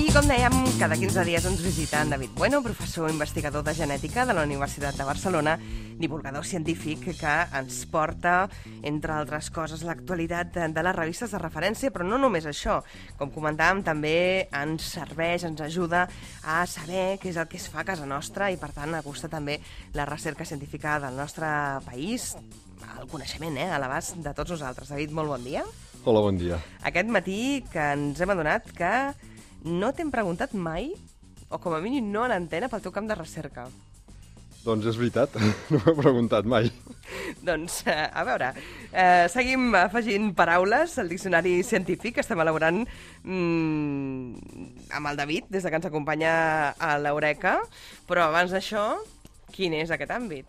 I com dèiem, cada 15 dies ens visita en David Bueno, professor investigador de genètica de la Universitat de Barcelona, divulgador científic que ens porta, entre altres coses, l'actualitat de les revistes de referència, però no només això. Com comentàvem, també ens serveix, ens ajuda a saber què és el que es fa a casa nostra i, per tant, acostar també la recerca científica del nostre país, el coneixement, a l'abast de tots nosaltres. David, molt bon dia. Hola, bon dia. Aquest matí que ens hem adonat que no t'hem preguntat mai, o com a mínim no en antena, pel teu camp de recerca. Doncs és veritat, no m'he preguntat mai. Doncs, a veure, seguim afegint paraules al diccionari científic que estem elaborant amb el David, des que ens acompanya a l'Eureka, però abans d'això, quin és aquest àmbit?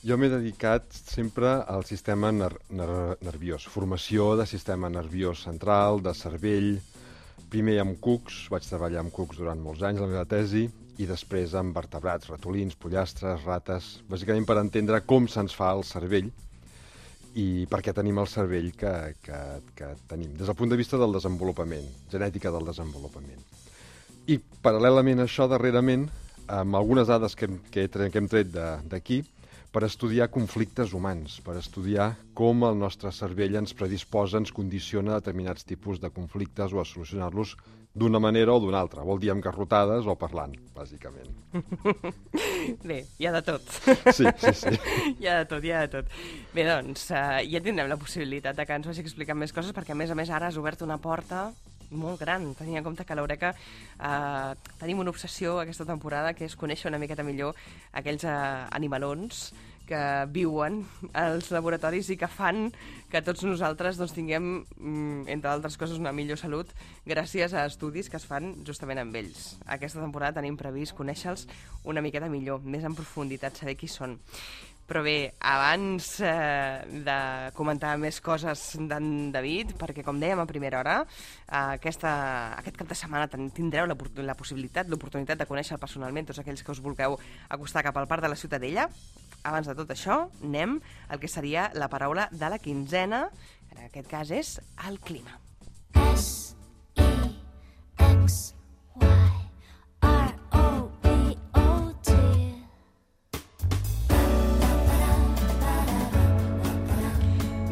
Jo m'he dedicat sempre al sistema nerviós, formació de sistema nerviós central, de cervell, primer amb cucs, vaig treballar amb cucs durant molts anys, la meva tesi, i després amb vertebrats, ratolins, pollastres, rates, bàsicament per entendre com se'ns fa el cervell i per què tenim el cervell que tenim, des del punt de vista del desenvolupament, genètica del desenvolupament. I paral·lelament a això, darrerament, amb algunes dades que hem tret d'aquí, per estudiar conflictes humans, per estudiar com el nostre cervell ens predisposa, ens condiciona a determinats tipus de conflictes o a solucionar-los d'una manera o d'una altra. Vol dir amb garrotades o parlant, bàsicament. Bé, hi ha de tot. Sí. Hi ha de tot. Bé, doncs, ja tindrem la possibilitat que ens vagi explicant més coses, perquè a més ara has obert una porta molt gran, tenint en compte que a l'Eureka tenim una obsessió aquesta temporada, que és conèixer una miqueta millor aquells animalons que viuen als laboratoris i que fan que tots nosaltres tinguem, entre altres coses, una millor salut gràcies a estudis que es fan justament amb ells. Aquesta temporada tenim previst conèixer-los una miqueta millor, més en profunditat, saber qui són. Però bé, abans de comentar més coses d'en David, perquè com dèiem a primera hora, aquest cap de setmana tindreu la possibilitat, l'oportunitat de conèixer personalment tots aquells que us vulgueu acostar cap al Parc de la Ciutadella. Abans de tot això, anem al que seria la paraula de la quinzena, que en aquest cas és el clima.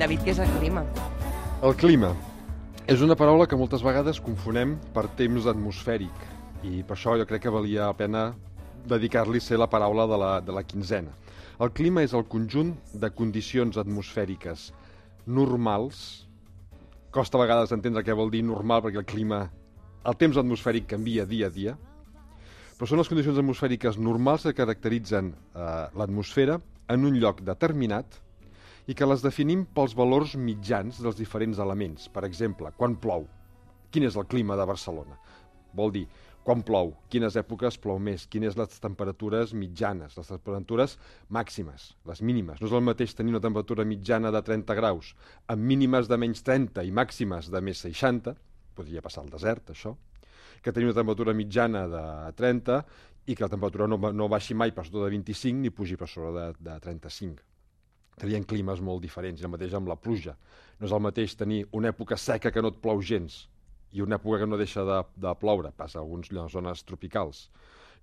David, què és el clima? El clima és una paraula que moltes vegades confonem per temps atmosfèric i per això jo crec que valia la pena dedicar-li a ser la paraula de la quinzena. El clima és el conjunt de condicions atmosfèriques normals. Costa a vegades entendre què vol dir normal, perquè el temps atmosfèric canvia dia a dia, però són les condicions atmosfèriques normals que caracteritzen l'atmosfera en un lloc determinat i que les definim pels valors mitjans dels diferents elements. Per exemple, quan plou, quin és el clima de Barcelona? Vol dir, quan plou, quines èpoques plou més, quines les temperatures mitjanes, les temperatures màximes, les mínimes. No és el mateix tenir una temperatura mitjana de 30 graus amb mínimes de menys 30 i màximes de més 60, podria passar al desert, això, que tenir una temperatura mitjana de 30 i que la temperatura no baixi mai per sota de 25 ni pugi per sobre de 35. Tenien climes molt diferents, i el mateix amb la pluja. No és el mateix tenir una època seca que no et plou gens i una època que no deixa de ploure, passa a algunes zones tropicals,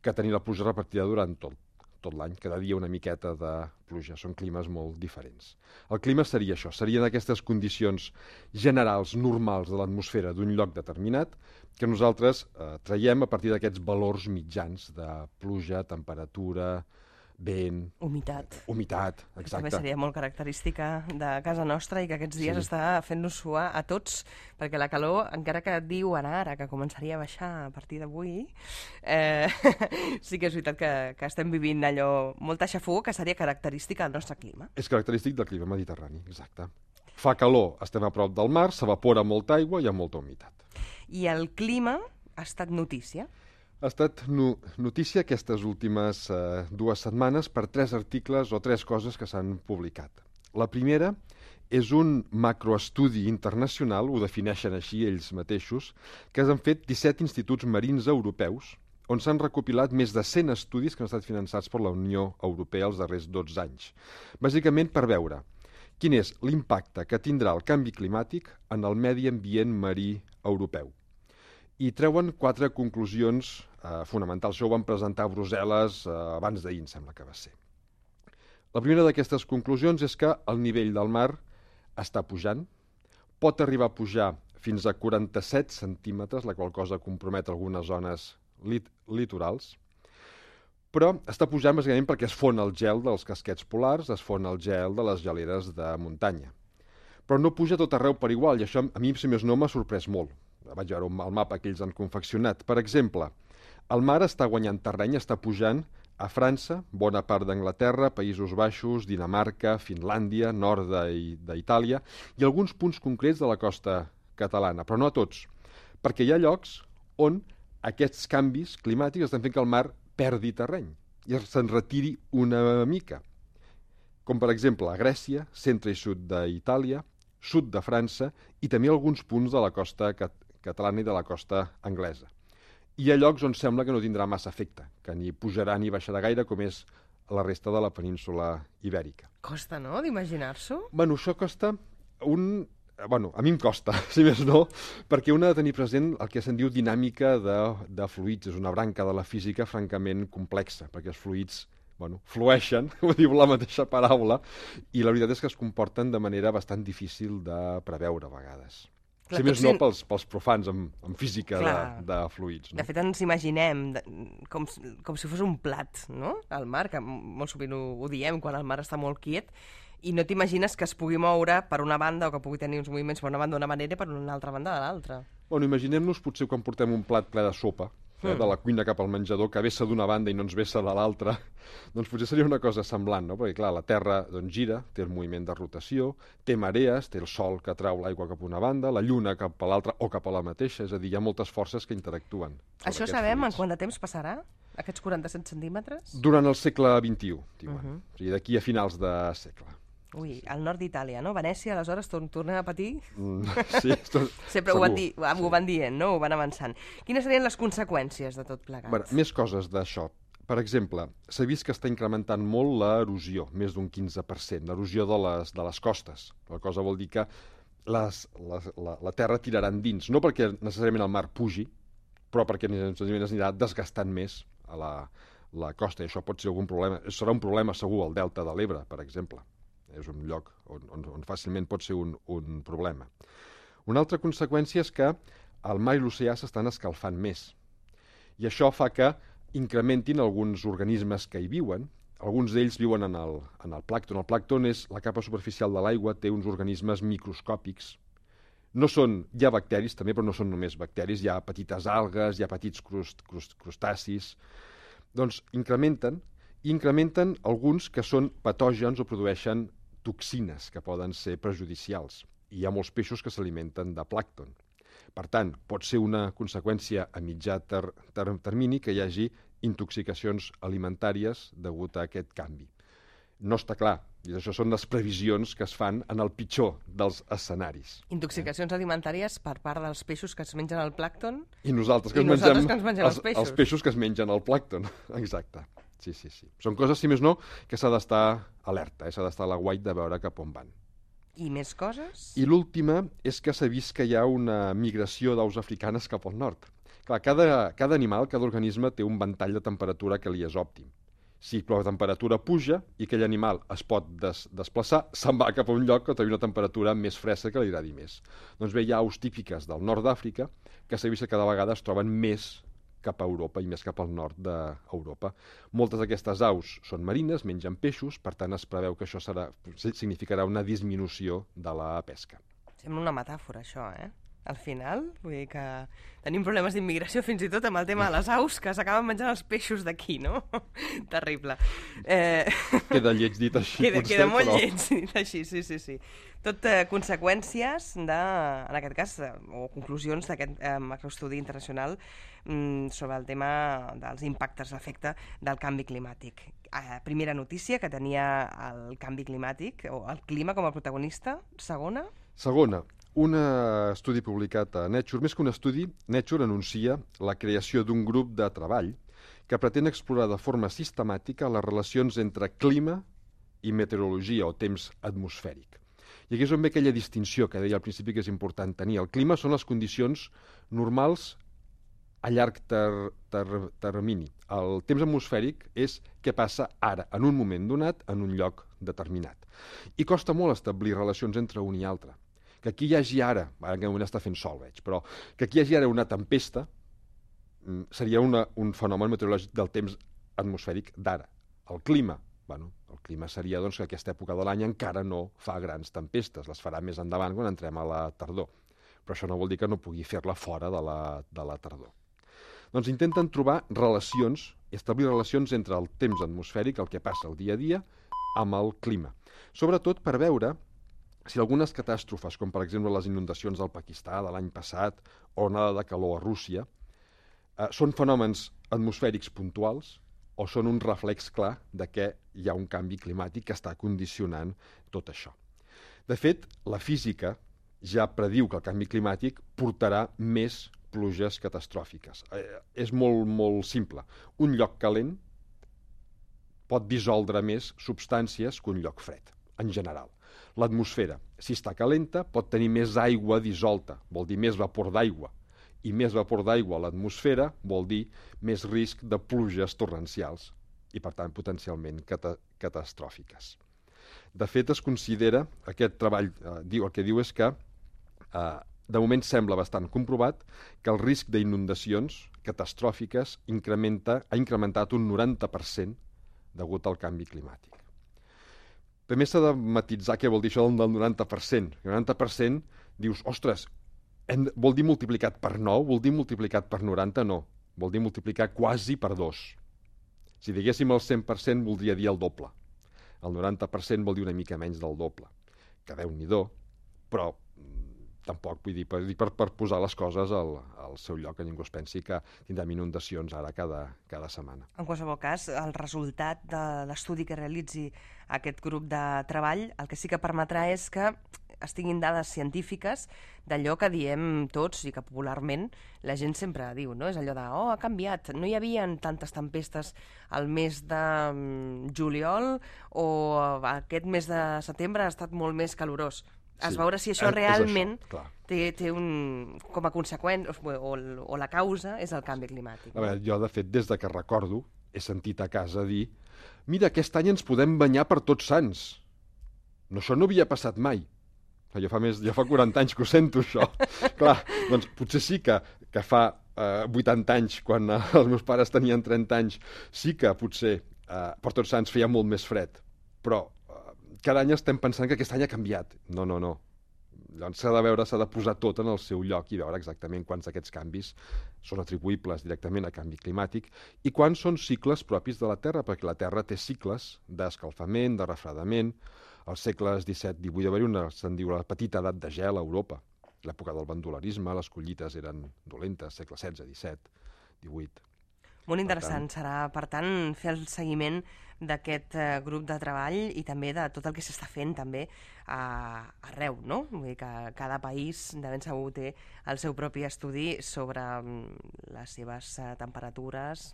que tenir la pluja repartida durant tot l'any, cada dia una miqueta de pluja. Són climes molt diferents. El clima seria això, serien aquestes condicions generals, normals de l'atmosfera d'un lloc determinat, que nosaltres traiem a partir d'aquests valors mitjans de pluja, temperatura, vent... Humitat, exacte. També seria molt característica de casa nostra i que aquests dies està fent-nos suar a tots, perquè la calor, encara que diuen ara que començaria a baixar a partir d'avui, sí que és veritat que estem vivint allò, molta xafogor, que seria característica del nostre clima. És característic del clima mediterrani, exacte. Fa calor, estem a prop del mar, s'evapora molta aigua i hi ha molta humitat. I el clima ha estat notícia? Ha estat notícia aquestes últimes 2 setmanes per 3 articles o 3 coses que s'han publicat. La primera és un macroestudi internacional, ho defineixen així ells mateixos, que han fet 17 instituts marins europeus, on s'han recopilat més de 100 estudis que han estat finançats per la Unió Europea els darrers 12 anys. Bàsicament per veure quin és l'impacte que tindrà el canvi climàtic en el medi ambient marí europeu. i treuen 4 conclusions fonamentals. Això ho van presentar a Brussel·les abans d'ahir, em sembla que va ser. La primera d'aquestes conclusions és que el nivell del mar està pujant, pot arribar a pujar fins a 47 centímetres, la qual cosa compromet algunes zones litorals, però està pujant bàsicament perquè es fon el gel dels casquets polars, es fon el gel de les geleres de muntanya. Però no puja tot arreu per igual, i això a mi, si més no, m'ha sorprès molt. Vaig veure el mapa que ells han confeccionat. Per exemple, el mar està guanyant terreny, està pujant a França, bona part d'Anglaterra, Països Baixos, Dinamarca, Finlàndia, nord d'Itàlia, i alguns punts concrets de la costa catalana, però no a tots, perquè hi ha llocs on aquests canvis climàtics estan fent que el mar perdi terreny i se'n retiri una mica, com per exemple a Grècia, centre i sud d'Itàlia, sud de França i també alguns punts de la costa catalana i de la costa anglesa. Hi ha llocs on sembla que no tindrà massa efecte, que ni pujarà ni baixarà gaire, com és la resta de la península ibèrica. Costa, no?, d'imaginar-s'ho? Bueno, això costa Bueno, a mi em costa, si més no, perquè un ha de tenir present el que se'n diu dinàmica de fluids. És una branca de la física francament complexa, perquè els fluids flueixen, ho diu la mateixa paraula, i la veritat és que es comporten de manera bastant difícil de preveure a vegades. Si més no pels profans en física de fluids. No? De fet, ens imaginem com si fos un plat, no?, al mar, que molt sovint ho diem quan el mar està molt quiet, i no t'imagines que es pugui moure per una banda o que pugui tenir uns moviments per una banda d'una manera i per una altra banda de l'altra. Bueno, imaginem-nos potser quan portem un plat ple de sopa, de la cuina cap al menjador, que vessa d'una banda i no ens vessa de l'altra, doncs potser seria una cosa semblant, no? Perquè, clar, la Terra gira, té el moviment de rotació, té marees, té el sol que trau l'aigua cap a una banda, la lluna cap a l'altra o cap a la mateixa, és a dir, hi ha moltes forces que interactuen. Això sabem en quant de temps passarà, aquests 47 centímetres? Durant el segle XXI, diuen. O sigui, d'aquí a finals de segle. Ui, al nord d'Itàlia, no? Venècia, aleshores, tornem a patir? Sí, sempre ho van dient, no? Ho van avançant. Quines serien les conseqüències de tot plegat? Bé, més coses d'això. Per exemple, s'ha vist que està incrementant molt l'erosió, més d'un 15%, l'erosió de les costes. La cosa vol dir que la terra tirarà endins, no perquè necessàriament el mar pugi, però perquè necessàriament es anirà desgastant més a la costa, i això pot ser algun problema. Serà un problema segur al delta de l'Ebre, per exemple. És un lloc on fàcilment pot ser un problema. Una altra conseqüència és que el mar i l'oceà s'estan escalfant més. I això fa que incrementin alguns organismes que hi viuen. Alguns d'ells viuen en el plàncton. El plàncton és la capa superficial de l'aigua, té uns organismes microscòpics. Hi ha bacteris també, però no són només bacteris. Hi ha petites algues, hi ha petits crustacis. Doncs incrementen alguns que són patògens o produeixen toxines que poden ser perjudicials. I hi ha molts peixos que s'alimenten de plàncton. Per tant, pot ser una conseqüència a mitjà termini que hi hagi intoxicacions alimentàries degut a aquest canvi. No està clar, i això són les previsions que es fan en el pitjor dels escenaris. Intoxicacions alimentàries per part dels peixos que es mengen el plàncton? I nosaltres que ens mengem els peixos que es mengen el plàncton, exacte. Sí. Són coses, si més no, que s'ha d'estar alerta, s'ha d'estar a l'aguait de veure cap on van. I més coses? I l'última és que s'ha vist que hi ha una migració d'aus africanes cap al nord. Clar, cada animal, cada organisme té un ventall de temperatura que li és òptim. Si la temperatura puja i aquell animal es pot desplaçar, se'n va cap a un lloc que té una temperatura més fresca que li agradi més. Doncs bé, hi ha aus típiques del nord d'Àfrica que s'ha vist que cada vegada es troben més cap a Europa i més cap al nord d'Europa. Moltes d'aquestes aus són marines, mengen peixos, per tant es preveu que això significarà una disminució de la pesca. Sembla una metàfora, això, Al final, vull dir que tenim problemes d'immigració fins i tot amb el tema de les aus que s'acaben menjant els peixos d'aquí, no? Terrible. Queda lleig dit així, potser, queda molt lleig dit així, sí. Tot conseqüències en aquest cas, o conclusions d'aquest macroestudi internacional sobre el tema dels impactes, l'efecte del canvi climàtic. Primera notícia, que tenia el canvi climàtic, o el clima com a protagonista. Segona, un estudi publicat a Nature. Més que un estudi, Nature anuncia la creació d'un grup de treball que pretén explorar de forma sistemàtica les relacions entre clima i meteorologia o temps atmosfèric. I aquí és on ve aquella distinció que deia al principi que és important tenir. El clima són les condicions normals a llarg termini. El temps atmosfèric és què passa ara, en un moment donat, en un lloc determinat. I costa molt establir relacions entre un i altre. Que aquí hi hagi ara en aquest moment està fent sol, veig, però que aquí hi hagi ara una tempesta seria un fenomen meteorològic del temps atmosfèric d'ara. El clima, el clima seria doncs, que aquesta època de l'any encara no fa grans tempestes, les farà més endavant quan entrem a la tardor. Però això no vol dir que no pugui fer-la fora de la tardor. Doncs intenten trobar relacions, establir relacions entre el temps atmosfèric, el que passa el dia a dia, amb el clima. Sobretot per veure si algunes catàstrofes, com per exemple les inundacions del Pakistà de l'any passat o onada de calor a Rússia, són fenòmens atmosfèrics puntuals o són un reflex clar de que hi ha un canvi climàtic que està condicionant tot això. De fet, la física ja prediu que el canvi climàtic portarà més pluges catastròfiques. És molt simple. Un lloc calent pot dissoldre més substàncies que un lloc fred, en general. L'atmosfera, si està calenta, pot tenir més aigua dissolta, vol dir més vapor d'aigua. I més vapor d'aigua a l'atmosfera vol dir més risc de pluges torrencials i, per tant, potencialment catastròfiques. De fet, es considera, aquest treball, el que diu és que de moment sembla bastant comprovat que el risc d'inundacions catastròfiques ha incrementat un 90% degut al canvi climàtic. També s'ha de matitzar què vol dir això del 90%. El 90% dius, ostres, vol dir multiplicat per 9? Vol dir multiplicat per 90? No. Vol dir multiplicar quasi per 2. Si diguéssim el 100% voldria dir el doble. El 90% vol dir una mica menys del doble. Que Déu-n'hi-do, però tampoc, vull dir, per posar les coses al seu lloc, que ningú es pensi que tindrem inundacions ara cada setmana. En qualsevol cas, el resultat de l'estudi que realitzi aquest grup de treball, el que sí que permetrà és que es tinguin dades científiques d'allò que diem tots i que popularment la gent sempre diu, no? És allò de, ha canviat, no hi havia tantes tempestes al mes de juliol o aquest mes de setembre ha estat molt més calorós. Es veure si això realment té com a conseqüència o la causa és el canvi climàtic. A veure, jo, de fet, des de que recordo, he sentit a casa dir mira, aquest any ens podem banyar per Tots Sants. No, això no havia passat mai. Ja fa 40 anys que ho sento, això. Clar, doncs potser sí que fa 80 anys, quan els meus pares tenien 30 anys, sí que potser per Tots Sants feia molt més fred. Però cada any estem pensant que aquest any ha canviat. No. Llavors s'ha de posar tot en el seu lloc i veure exactament quants d'aquests canvis són atribuïbles directament a canvi climàtic i quants són cicles propis de la Terra, perquè la Terra té cicles d'escalfament, de refredament. Als segles XVII-XVIII va haver se'n diu la petita edat de gel a Europa. L'època del bandolarisme, les collites eren dolentes, segle XVI, XVII, XVIII. Molt interessant serà, per tant, fer el seguiment d'aquest grup de treball i també de tot el que s'està fent també arreu, no? Vull dir que cada país de ben segur té el seu propi estudi sobre les seves temperatures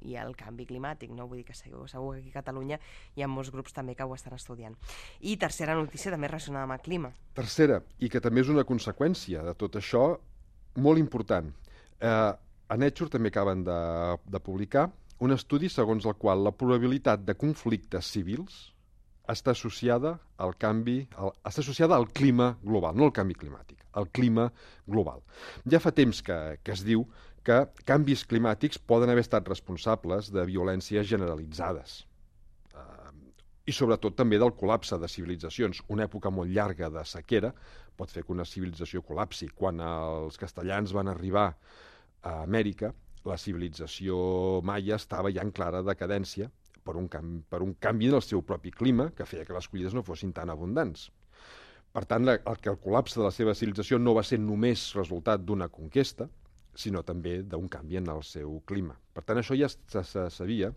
i el canvi climàtic, no? Vull dir que segur que aquí a Catalunya hi ha molts grups també que ho estan estudiant. I tercera notícia també relacionada amb el clima. Tercera, i que també és una conseqüència de tot això, molt important. A Nature també acaben de publicar un estudi segons el qual la probabilitat de conflictes civils està associada al clima global, no al canvi climàtic, al clima global. Ja fa temps que es diu que canvis climàtics poden haver estat responsables de violències generalitzades i sobretot també del col·lapse de civilitzacions. Una època molt llarga de sequera pot fer que una civilització col·lapsi. Quan els castellans van arribar a Amèrica, la civilització maia estava ja en clara decadència per un canvi en el seu propi clima que feia que les collides no fossin tan abundants. Per tant, el col·lapse de la seva civilització no va ser només resultat d'una conquesta, sinó també d'un canvi en el seu clima. Per tant, això ja se sabia,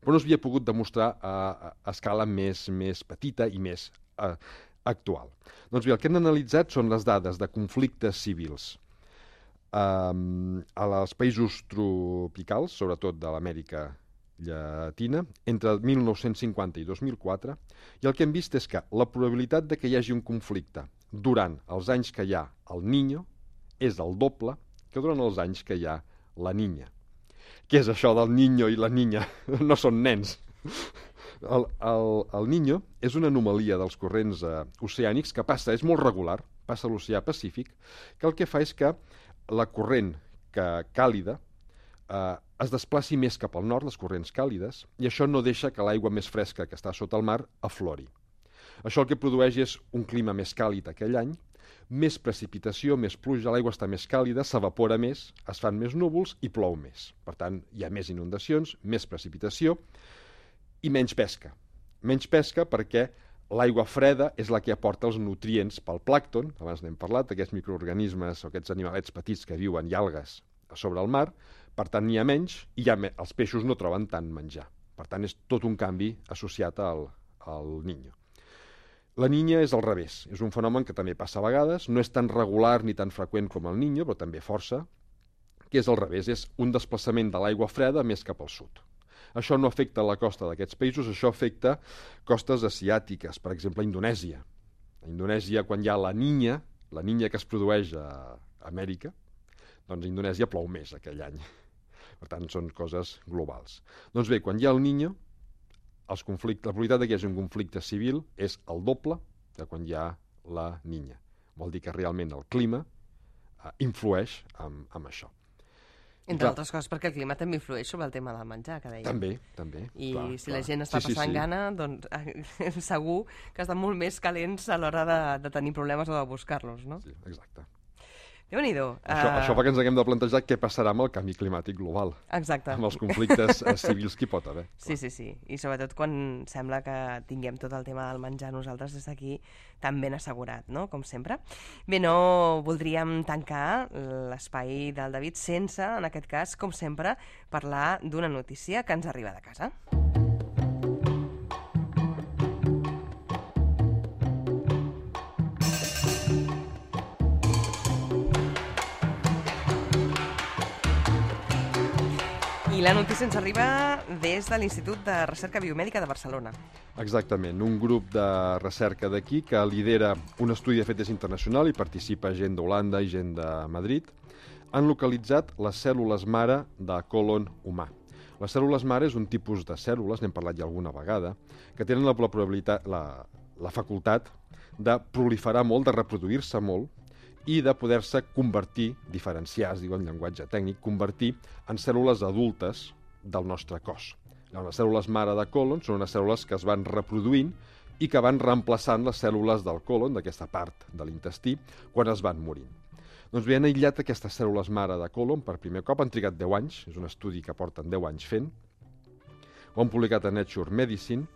però no s'havia pogut demostrar a escala més petita i més actual. Doncs bé, el que han analitzat són les dades de conflictes civils als països tropicals, sobretot de l'Amèrica Llatina, entre 1950 i 2004, i el que hem vist és que la probabilitat de que hi hagi un conflicte durant els anys que hi ha el Niño és el doble que durant els anys que hi ha la niña. Què és això del niño i la niña? No són nens. El niño és una anomalia dels corrents oceànics que passa, és molt regular, passa a l'oceà Pacífic, que el que fa és que la corrent càlida es desplaci més cap al nord, les corrents càlides, i això no deixa que l'aigua més fresca que està sota el mar aflori. Això el que produeix és un clima més càlid aquell any, més precipitació, més pluja, l'aigua està més càlida, s'evapora més, es fan més núvols i plou més. Per tant, hi ha més inundacions, més precipitació i menys pesca. Menys pesca perquè l'aigua freda és la que aporta els nutrients pel plàncton, abans n'hem parlat, aquests microorganismes o aquests animalets petits que viuen i algues sobre el mar, per tant n'hi ha menys i els peixos no troben tant menjar. Per tant, és tot un canvi associat al niño. La niña és al revés, és un fenomen que també passa a vegades, no és tan regular ni tan freqüent com el niño, però també força, que és al revés, és un desplaçament de l'aigua freda més cap al sud. Això no afecta la costa d'aquests països, això afecta costes asiàtiques, per exemple, Indonèsia. A Indonèsia, quan hi ha la niña que es produeix a Amèrica, doncs a Indonèsia plou més aquell any. Per tant, són coses globals. Doncs bé, quan hi ha el niño, la probabilitat que hi hagi un conflicte civil és el doble que quan hi ha la niña. Vol dir que realment el clima influeix amb això. Entre altres coses, perquè el clima també influeix sobre el tema del menjar, que dèiem. També. I si la gent està passant gana, doncs segur que estan molt més calents a l'hora de tenir problemes o de buscar-los, no? Sí, exacte. Déu-n'hi-do. Això fa que ens haguem de plantejar què passarà amb el canvi climàtic global. Exacte. Amb els conflictes civils que hi pot haver. Sí. I sobretot quan sembla que tinguem tot el tema del menjar nosaltres des d'aquí tan ben assegurat, no? Com sempre. Bé, no voldríem tancar l'espai del David sense, en aquest cas, com sempre, parlar d'una notícia que ens arriba de casa. I la notícia ens arriba des de l'Institut de Recerca Biomèdica de Barcelona. Exactament, un grup de recerca d'aquí que lidera un estudi de fet internacional i participa gent d'Holanda i gent de Madrid, han localitzat les cèl·lules mare de còlon humà. Les cèl·lules mare és un tipus de cèl·lules, n'hem parlat ja alguna vegada, que tenen la facultat de proliferar molt, de reproduir-se molt, i de poder-se convertir, diferenciar, es diu en llenguatge tècnic, convertir en cèl·lules adultes del nostre cos. Les cèl·lules mare de còlon són unes cèl·lules que es van reproduint i que van reemplaçant les cèl·lules del còlon, d'aquesta part de l'intestí, quan es van morint. Doncs bé, han aïllat aquestes cèl·lules mare de còlon per primer cop, han trigat 10 anys, és un estudi que porten 10 anys fent, ho han publicat a Nature Medicine,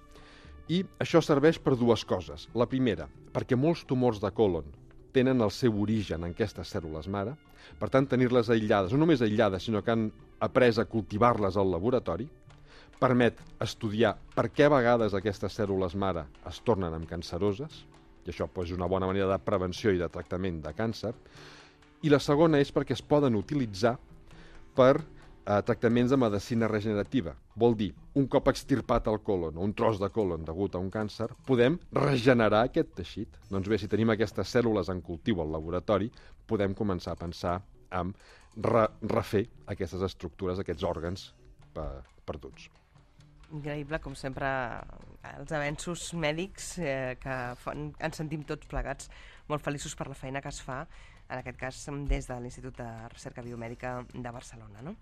i això serveix per dues coses. La primera, perquè molts tumors de còlon tenen el seu origen en aquestes cèl·lules mare, per tant, tenir-les aïllades, no només aïllades, sinó que han après a cultivar-les al laboratori, permet estudiar per què a vegades aquestes cèl·lules mare es tornen amb canceroses, i això és una bona manera de prevenció i de tractament de càncer, i la segona és perquè es poden utilitzar per tractaments de medicina regenerativa. Vol dir, un cop extirpat el còlon o un tros de còlon degut a un càncer, podem regenerar aquest teixit. Doncs bé, si tenim aquestes cèl·lules en cultiu al laboratori, podem començar a pensar en refer aquestes estructures, aquests òrgans perduts. Increïble, com sempre, els avenços mèdics que ens sentim tots plegats molt feliços per la feina que es fa, en aquest cas des de l'Institut de Recerca Biomèdica de Barcelona. No?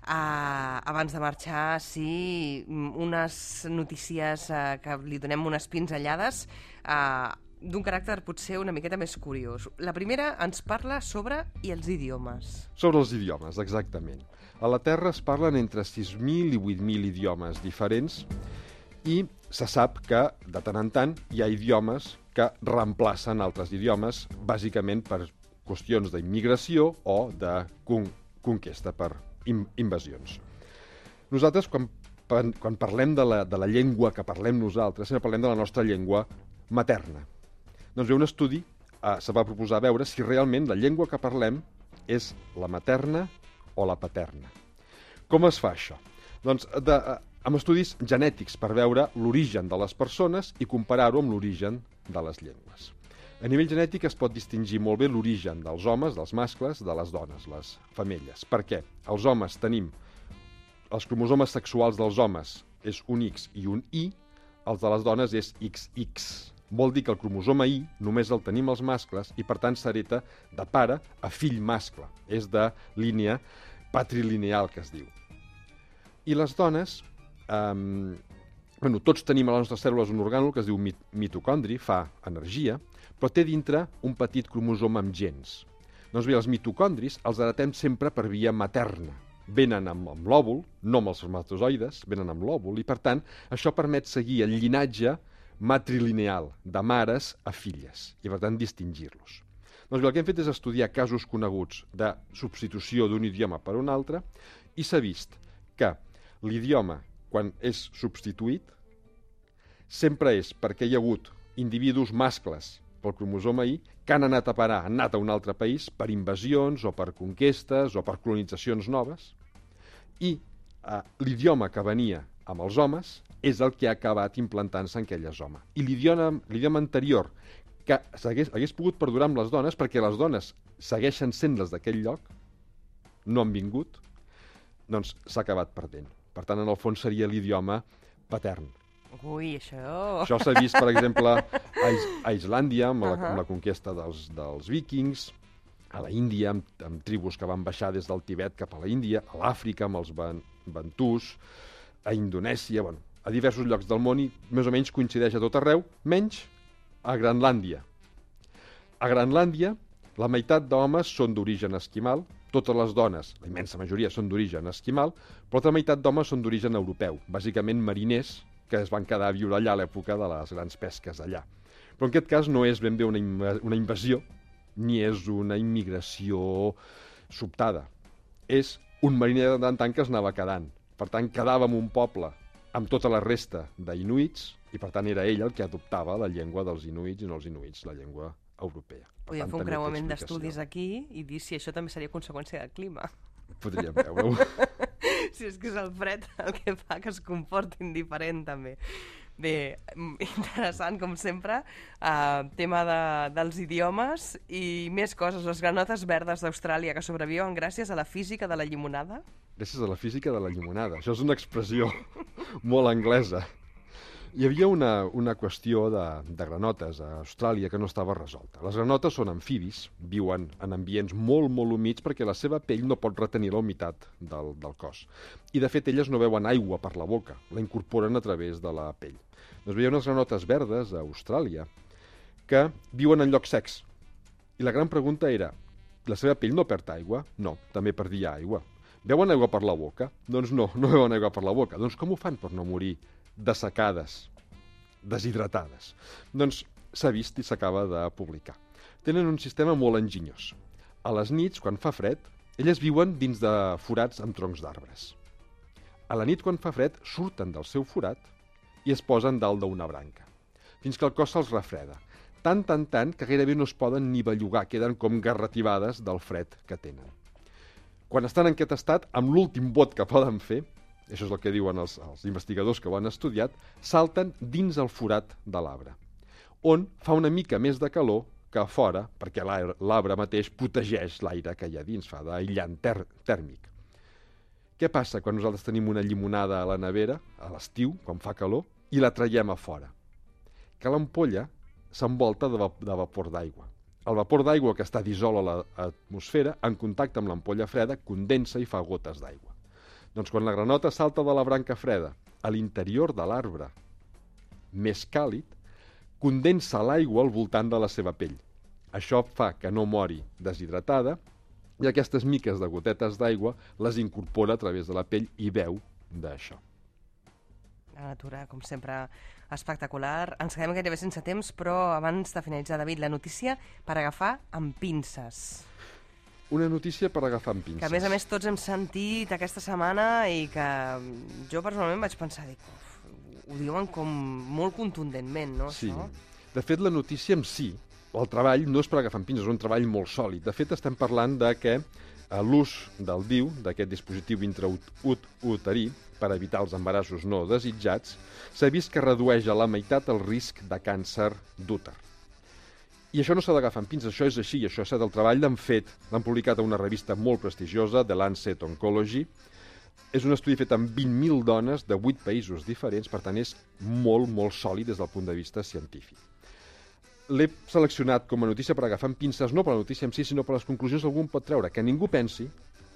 Abans de marxar, sí, unes notícies que li donem unes pinzellades d'un caràcter potser una miqueta més curiós. La primera ens parla sobre els idiomes. Sobre els idiomes, exactament. A la Terra es parlen entre 6.000 i 8.000 idiomes diferents i se sap que, de tant en tant, hi ha idiomes que reemplacen altres idiomes, bàsicament per qüestions d'immigració o de conquesta per invasions. Nosaltres, quan parlem de la llengua que parlem nosaltres, sempre parlem de la nostra llengua materna. Doncs bé, un estudi se va proposar veure si realment la llengua que parlem és la materna o la paterna. Com es fa això? Doncs amb estudis genètics per veure l'origen de les persones i comparar-ho amb l'origen de les llengües. A nivell genètic es pot distingir molt bé l'origen dels homes, dels mascles, de les dones, les femelles. Per què? Els homes tenim els cromosomes sexuals dels homes és un X i un Y, els de les dones és XX. Vol dir que el cromosoma Y només el tenim els mascles i, per tant, s'hereta de pare a fill mascle. És de línia patrilineal, que es diu. I les dones, tots tenim a les nostres cèl·lules un orgànul que es diu mitocondri, fa energia, però té dintre un petit cromosoma amb gens. Doncs bé, els mitocondris els heretem sempre per via materna. Venen amb l'òvul, no amb els espermatozoides, venen amb l'òvul, i per tant això permet seguir el llinatge matrilineal, de mares a filles, i per tant distingir-los. Doncs bé, el que hem fet és estudiar casos coneguts de substitució d'un idioma per un altre, i s'ha vist que l'idioma, quan és substituït, sempre és perquè hi ha hagut individus mascles pel cromosoma Y que han anat a parar, han anat a un altre país per invasions o per conquestes o per colonitzacions noves, i l'idioma que venia amb els homes és el que ha acabat implantant-se en aquelles homes. I l'idioma anterior que hagués pogut perdurar amb les dones, perquè les dones segueixen sent les d'aquell lloc, no han vingut, doncs s'ha acabat perdent. Per tant, en el fons seria l'idioma patern. Ui, això... Això s'ha vist, per exemple, a Islàndia, amb la conquesta dels víkings, a la Índia, amb tribus que van baixar des del Tibet cap a la Índia, a l'Àfrica, amb els bantús, a Indonèsia, a diversos llocs del món, i més o menys coincideix a tot arreu, menys a Grenlàndia. A Grenlàndia, la meitat d'homes són d'origen esquimal, totes les dones, la immensa majoria, són d'origen esquimal, però l'altra meitat d'homes són d'origen europeu, bàsicament mariners, que es van quedar a viure allà a l'època de les grans pesques allà. Però en aquest cas no és ben bé una invasió, ni és una immigració sobtada. És un mariner de tant que es anava quedant. Per tant, quedava en un poble amb tota la resta d'inuits, i per tant era ell el que adoptava la llengua dels inuits i no els inuits, la llengua europea. Podríem fer un creuament d'estudis aquí i dir si això també seria conseqüència del clima. Podríem veure-ho. Si és que és el fred el que fa que es comportin diferent, també. Bé, interessant, com sempre, tema dels idiomes i més coses. Les granotes verdes d'Austràlia que sobreviuen gràcies a la física de la llimonada. Gràcies a la física de la llimonada. Això és una expressió molt anglesa. Hi havia una qüestió de granotes a Austràlia que no estava resolta. Les granotes són amfibis, viuen en ambients molt, molt humits perquè la seva pell no pot retenir la humitat del cos. I, de fet, elles no beuen aigua per la boca, la incorporen a través de la pell. Doncs hi ha unes granotes verdes a Austràlia que viuen en llocs secs. I la gran pregunta era, la seva pell no perd aigua? No, també perdia aigua. Beuen aigua per la boca? Doncs no beuen aigua per la boca. Doncs com ho fan per no morir dessecades, deshidratades? Doncs s'ha vist i s'acaba de publicar. Tenen un sistema molt enginyós. A les nits, quan fa fred, elles viuen dins de forats amb troncs d'arbres. A la nit, quan fa fred, surten del seu forat i es posen dalt d'una branca, fins que el cos se'ls refreda. Tant que gairebé no es poden ni bellugar, queden com garrativades del fred que tenen. Quan estan en aquest estat, amb l'últim bot que poden fer, això és el que diuen els investigadors que ho han estudiat, salten dins el forat de l'arbre, on fa una mica més de calor que a fora, perquè l'arbre mateix protegeix l'aire que hi ha dins, fa d'aïllant tèrmic. Què passa quan nosaltres tenim una llimonada a la nevera, a l'estiu, quan fa calor, i la traiem a fora? Que l'ampolla s'envolta de vapor d'aigua. El vapor d'aigua que està dissolt a l'atmosfera, en contacte amb l'ampolla freda, condensa i fa gotes d'aigua. Doncs quan la granota salta de la branca freda a l'interior de l'arbre més càlid, condensa l'aigua al voltant de la seva pell. Això fa que no mori deshidratada i aquestes miques de gotetes d'aigua les incorpora a través de la pell i beu d'això. La natura, com sempre, espectacular. Ens quedem gairebé sense temps, però abans de finalitzar, David, la notícia per agafar amb pinces. Una notícia per agafar amb pinces. Que, a més, tots hem sentit aquesta setmana i que jo personalment vaig pensar, ho diuen com molt contundentment, no? Sí. Això? De fet, la notícia en si, el treball, no és per agafar amb pinces, és un treball molt sòlid. De fet, estem parlant de que l'ús del DIU, d'aquest dispositiu intrauterí, per evitar els embarassos no desitjats, s'ha vist que redueix a la meitat el risc de càncer d'úter. I això no s'ha d'agafar amb pinces, això és així, això és el treball l'han fet, l'han publicat a una revista molt prestigiosa, The Lancet Oncology. És un estudi fet amb 20.000 dones de 8 països diferents, per tant és molt, molt sòlid des del punt de vista científic. L'he seleccionat com a notícia per agafar amb pinces, no per la notícia en si, sinó per les conclusions que algú pot treure, que ningú pensi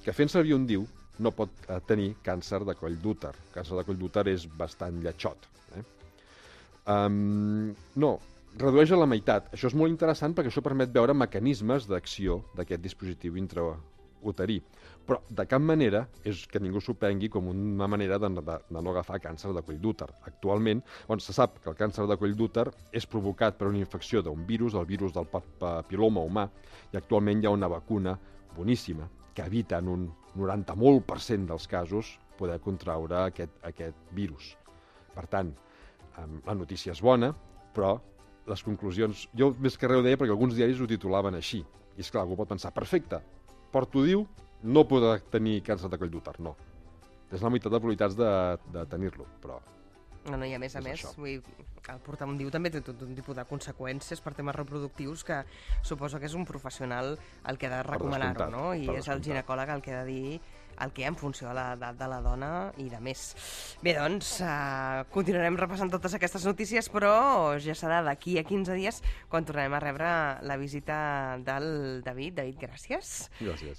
que fent servir un DIU no pot tenir càncer de coll d'úter. El càncer de coll d'úter és bastant lletxot. No, redueix a la meitat. Això és molt interessant perquè això permet veure mecanismes d'acció d'aquest dispositiu intrauterí. Però de cap manera és que ningú s'ho prengui com una manera de no agafar càncer de coll d'úter. Actualment, se sap que el càncer de coll d'úter és provocat per una infecció d'un virus, el virus del papiloma humà, i actualment hi ha una vacuna boníssima que evita en un 90% dels casos poder contraure aquest virus. Per tant, la notícia és bona, però les conclusions... Jo més que res ho deia perquè alguns diaris ho titulaven així. I esclar, algú pot pensar, perfecte, porto DIU, no podrà tenir càncer de coll d'úter, no. És la meitat de probabilitats de tenir-lo, però... No, i a més, el portar un DIU també té tot un tipus de conseqüències per temes reproductius que suposo que és un professional el que ha de recomanar-ho, no? I és el ginecòleg el que ha de dir el que en funció de l'edat de la dona i de més. Bé, doncs, continuarem repassant totes aquestes notícies, però ja serà d'aquí a 15 dies quan tornarem a rebre la visita del David. David, gràcies. Gràcies.